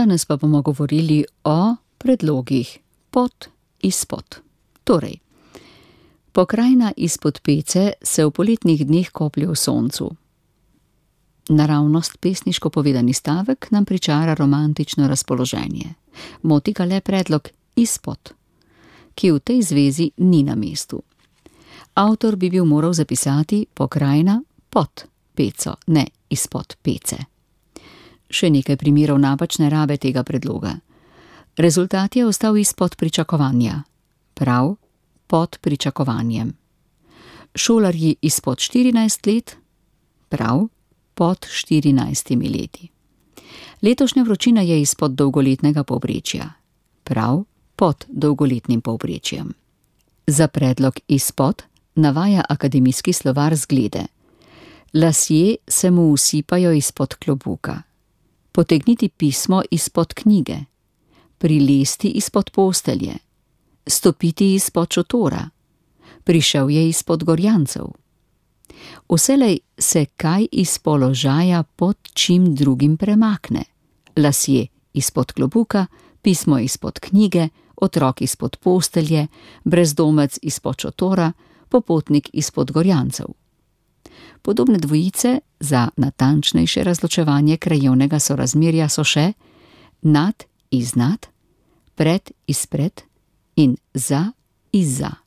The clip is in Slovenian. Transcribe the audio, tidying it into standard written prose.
Danes pa bomo govorili o predlogih pod, izpod. Torej, pokrajina izpod pece se v poletnih dneh koplje v soncu. Naravnost pesniško povedani stavek nam pričara romantično razpoloženje. Moti ga le predlog izpod, ki v tej zvezi ni na mestu. Avtor bi bil moral zapisati pokrajina pod peco, ne izpod pece. Še nekaj primerov napačne rabe tega predloga. Rezultat je ostal izpod pričakovanja. Prav, pod pričakovanjem. Šolarji izpod 14 let, prav, pod 14 leti. Letošnja vročina je izpod dolgoletnega povprečja. Prav, pod dolgoletnim povprečjem. Za predlog izpod navaja akademijski slovar zglede. Lasje se mu usipajo izpod klobuka. Potegniti pismo izpod knjige. Prilesti izpod postelje. Stopiti izpod šotora. Prišel je izpod gorjancev. Vselej se kaj iz položaja pod čim drugim premakne. Lasje izpod klobuka, pismo izpod knjige, otrok izpod postelje, brezdomec izpod šotora, popotnik izpod gorjancev. Podobne dvojice za natančnejše razločevanje krajevnega sorazmerja so še nad, iznad, pred, izpred in za, izza.